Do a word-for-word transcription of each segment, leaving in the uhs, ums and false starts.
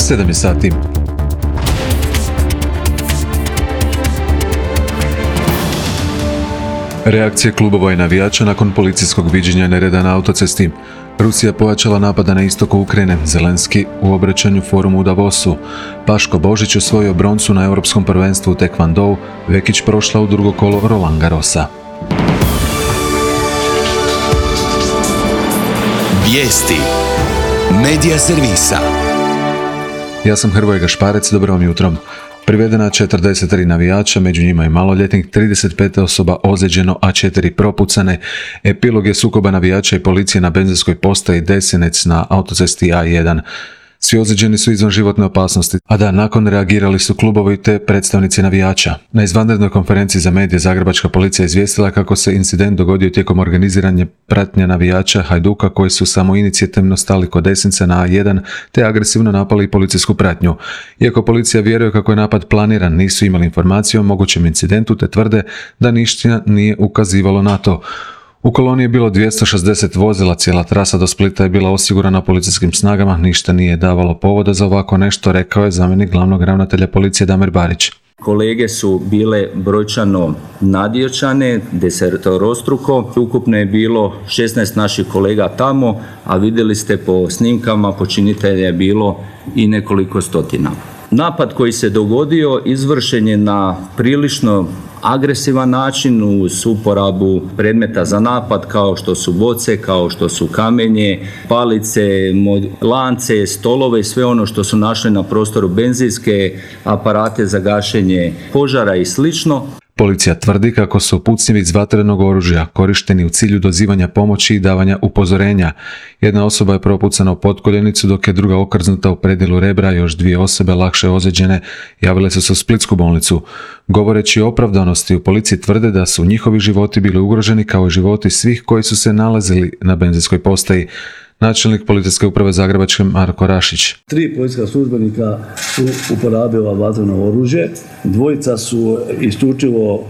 sedam je sati. Reakcije klubova i navijača nakon policijskog viđenja nereda na autocesti. Rusija pojačala napada na istoku Ukrajine, Zelenski u obraćanju forumu u Davosu. Paško Božić osvojio broncu na Europskom prvenstvu u tekvondou, Vekić prošla u drugo kolo Roland Garrosa. Vijesti Medija servisa. Ja sam Hrvoje Gašparec, dobro vam jutro. Privedena četrdeset tri navijača, među njima i maloljetnik, trideset pet osoba ozlijeđeno, a četiri propucane. Epilog je sukoba navijača i policije na benzinskoj postaji Desinec na autocesti A jedan. Svi ozlijeđeni su izvan životne opasnosti, a da nakon reagirali su klubovi te predstavnici navijača. Na izvanrednoj konferenciji za medije zagrebačka policija izvijestila kako se incident dogodio tijekom organiziranja pratnje navijača Hajduka koji su samoinicijativno stali kod Desinca na A jedan te agresivno napali policijsku pratnju. Iako policija vjeruje kako je napad planiran, nisu imali informaciju o mogućem incidentu te tvrde da ništa nije ukazivalo na to. U koloni je bilo dvjesto šezdeset vozila, cijela trasa do Splita je bila osigurana policijskim snagama, ništa nije davalo povoda za ovako nešto, rekao je zamjenik glavnog ravnatelja policije Damir Barić. Kolege su bile brojčano nadjačane, desetorostruko. Ukupno je bilo šesnaest naših kolega tamo, a vidjeli ste po snimkama počinitelja je bilo i nekoliko stotina. Napad koji se dogodio izvršen je na prilično agresivan način uz uporabu predmeta za napad kao što su boce, kao što su kamenje, palice, lance, stolove i sve ono što su našli na prostoru, benzinske aparate za gašenje požara i slično. Policija tvrdi kako su pucnjevi iz vatrenog oružja korišteni u cilju dozivanja pomoći i davanja upozorenja. Jedna osoba je propucana u potkoljenicu dok je druga okrznuta u predjelu rebra, još dvije osobe lakše ozlijeđene javile su se u splitsku bolnicu. Govoreći o opravdanosti, u policiji tvrde da su njihovi životi bili ugroženi kao i životi svih koji su se nalazili na benzinskoj postaji. Načelnik policijske uprave Zagrebačke Marko Rašić. Tri policijska službenika su uporabila vatreno oružje, dvojica su isključivo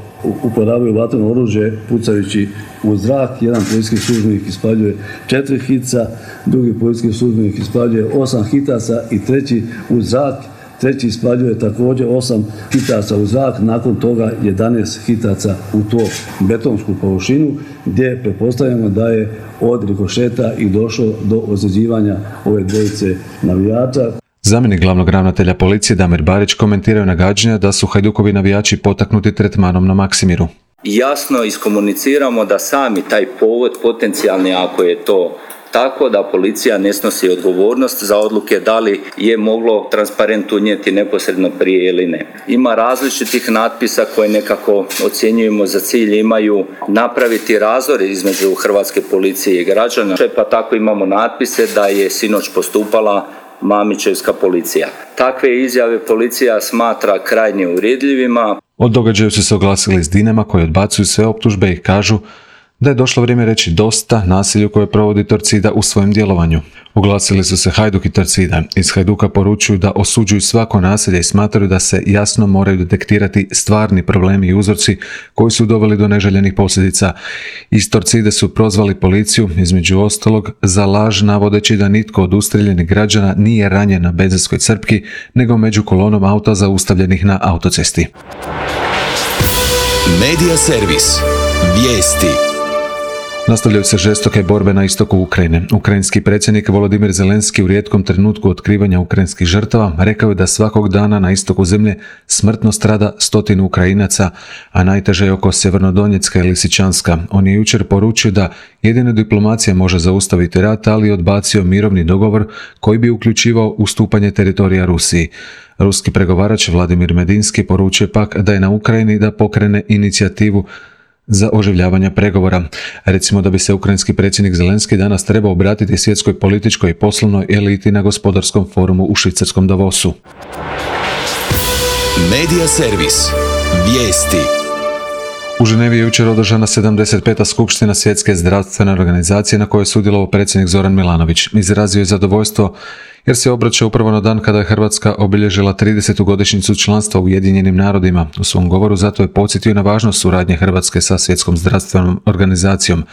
uporabili vatreno oružje pucajući u zrak, jedan policijski službenik ispaljuje četiri hica, drugi policijski službenik ispaljuje osam hitaca i treći u zrak. Treći ispaljuje također osam hitaca u zrak, nakon toga jedanaest hitaca u to betonsku površinu gdje pretpostavljamo da je od rikošeta i došlo do ozljeđivanja ove dvojice navijača. Zamjenik glavnog ravnatelja policije Damir Barić komentiraju nagađanja da su Hajdukovi navijači potaknuti tretmanom na Maksimiru. Jasno iskomuniciramo da sami taj povod potencijalni, ako je to tako, da policija ne snosi odgovornost za odluke da li je moglo transparent unijeti neposredno prije ili ne. Ima različitih natpisa koje nekako ocjenjujemo za cilj imaju napraviti razor između hrvatske policije i građana, pa tako imamo natpise da je sinoć postupala Mamićevska policija. Takve izjave policija smatra krajnje uvredljivima. Od događaju su se oglasili iz Dinama koji odbacuju sve optužbe i kažu da je došlo vrijeme reći dosta nasilju koje provodi Torcida u svojem djelovanju. Oglasili su se Hajduk i Torcida. Iz Hajduka poručuju da osuđuju svako nasilje i smatraju da se jasno moraju detektirati stvarni problemi i uzroci koji su doveli do neželjenih posljedica. Iz Torcide su prozvali policiju, između ostalog, za laž navodeći da nitko od ustreljenih građana nije ranjen na benzinskoj crpki, nego među kolonom auta zaustavljenih na autocesti. Medija servis. Vijesti. Nastavljaju se žestoke borbe na istoku Ukrajine. Ukrajinski predsjednik Volodimir Zelenski u rijetkom trenutku otkrivanja ukrajinskih žrtava rekao je da svakog dana na istoku zemlje smrtno strada stotinu Ukrajinaca, a najteže je oko Sjevernodonjecka i Lisičanska. On je jučer poručio da jedina diplomacija može zaustaviti rat, ali je odbacio mirovni dogovor koji bi uključivao ustupanje teritorija Rusiji. Ruski pregovarač Vladimir Medinski poručuje pak da je na Ukrajini da pokrene inicijativu za oživljavanje pregovora. Recimo da bi se ukrajinski predsjednik Zelenski danas trebao obratiti svjetskoj političkoj i poslovnoj eliti na gospodarskom forumu u švicarskom Davosu. Medija servis. Vijesti. U Ženevi je jučer održana sedamdeset peta skupština Svjetske zdravstvene organizacije na kojoj je sudjelovao predsjednik Zoran Milanović. Izrazio je zadovoljstvo jer se obraća upravo na dan kada je Hrvatska obilježila tridesetu godišnjicu članstva u Ujedinjenim narodima. U svom govoru zato je podsjetio na važnost suradnje Hrvatske sa Svjetskom zdravstvenom organizacijom.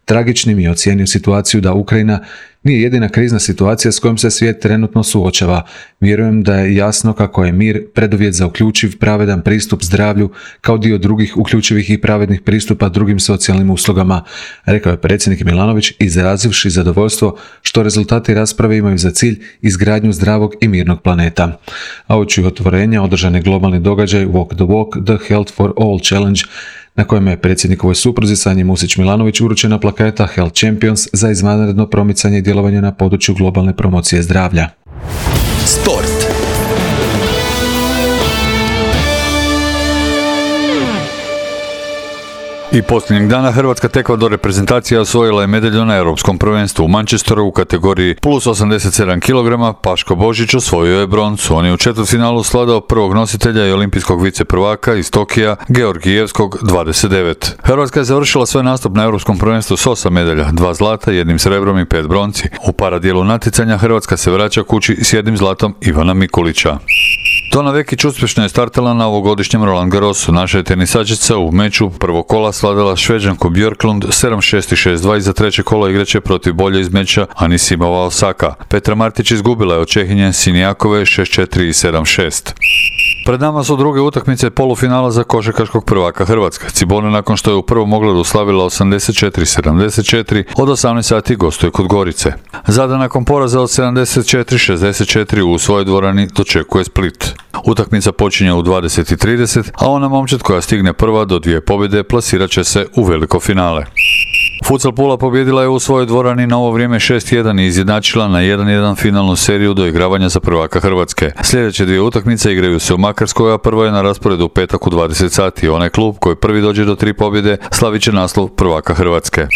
tragičnim i ocijenio situaciju da Ukrajina nije jedina krizna situacija s kojom se svijet trenutno suočava. Vjerujem da je jasno kako je mir preduvjet za uključiv, pravedan pristup zdravlju kao dio drugih uključivih i pravednih pristupa drugim socijalnim uslugama, rekao je predsjednik Milanović, izrazivši zadovoljstvo što rezultati rasprave imaju za cilj izgradnju zdravog i mirnog planeta. A uoči otvorenja održan je globalni događaj Walk the Walk, The Health for All Challenge, na kojem je predsjednikovoj supruzi Sanji Musić-Milanović uručena plaketa Health Champions za izvanredno promicanje i djelovanje na području globalne promocije zdravlja. Sport. I posljednjeg dana hrvatska tekvando reprezentacija osvojila je medalju na Europskom prvenstvu u Manchesteru u kategoriji plus osamdeset sedam kilograma. Paško Božić osvojio je broncu. On je u četvrtfinalu svladao prvog nositelja i olimpijskog viceprvaka iz Tokija, Georgijevskog dvadeset devet. Hrvatska je završila svoj nastup na Europskom prvenstvu s osam medalja, dva zlata, jednim srebrom i pet bronci. U paradijelu natjecanja Hrvatska se vraća kući s jednim zlatom Ivana Mikulića. Tona Vekić uspješno je startala na ovogodišnjem Roland Garrosu. Naša je tenisačica u meču prvog kola svladala Šveđanku Björklund sedam šest i šest dva i za treće kolo igraće protiv bolje iz meča Anisimova Osaka. Petra Martić izgubila je od Čehinje Sinijakove šest četiri i sedam šest. Pred nama su druge utakmice polufinala za košarkaškog prvaka Hrvatska. Cibona nakon što je u prvom ogledu slavila osamdeset četiri sedamdeset četiri od osamnaest sati gostuje kod Gorice. Zadar nakon poraza od sedamdeset četiri šezdeset četiri u svojoj dvorani dočekuje Split. Utakmica počinje u dvadeset i trideset, a ona momčad koja stigne prva do dvije pobjede plasirat će se u veliko finale. Futsal Pula pobjedila je u svojoj dvorani na ovo vrijeme šest jedan i izjednačila na jedan jedan finalnu seriju do igravanja za prvaka Hrvatske. Sljedeće dvije utakmice igraju se u Makarskoj, a prvo je na rasporedu u petak u dvadeset sati. Onaj klub koji prvi dođe do tri pobjede slavit će naslov prvaka Hrvatske.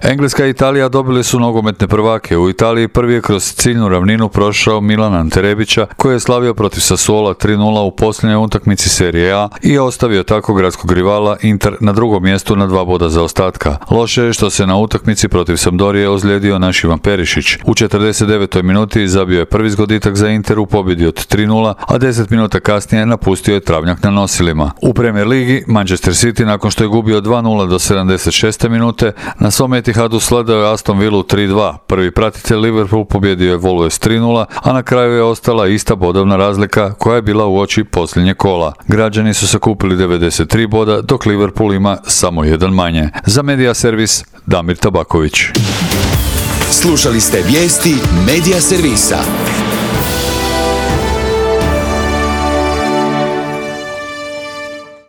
Engleska i Italija dobili su nogometne prvake. U Italiji prvi je kroz ciljnu ravninu prošao Milan Ante Rebića, koji je slavio protiv Sassuola tri nula u posljednjoj utakmici Serije A i ostavio tako gradskog rivala Inter na drugom mjestu na dva boda zaostatka. Loše je što se na utakmici protiv Sampdorije ozlijedio naš Ivan Perišić. U četrdeset devetoj minuti zabio je prvi zgoditak za Inter u pobjedi od tri nula, a deset minuta kasnije napustio je travnjak na nosilima. U Premier ligi Manchester City nakon što je gubio dva nula do sedamdeset šeste minute na svom Etihadu sladao je Aston Villu tri dva. Prvi pratitelj Liverpool pobjedio je Wolves tri nula, a na kraju je ostala ista bodovna razlika koja je bila uoči posljednje kola. Građani su sakupili devedeset tri boda, dok Liverpool ima samo jedan manje. Za Media Servis Damir Tabaković. Slušali ste vijesti Media Servisa.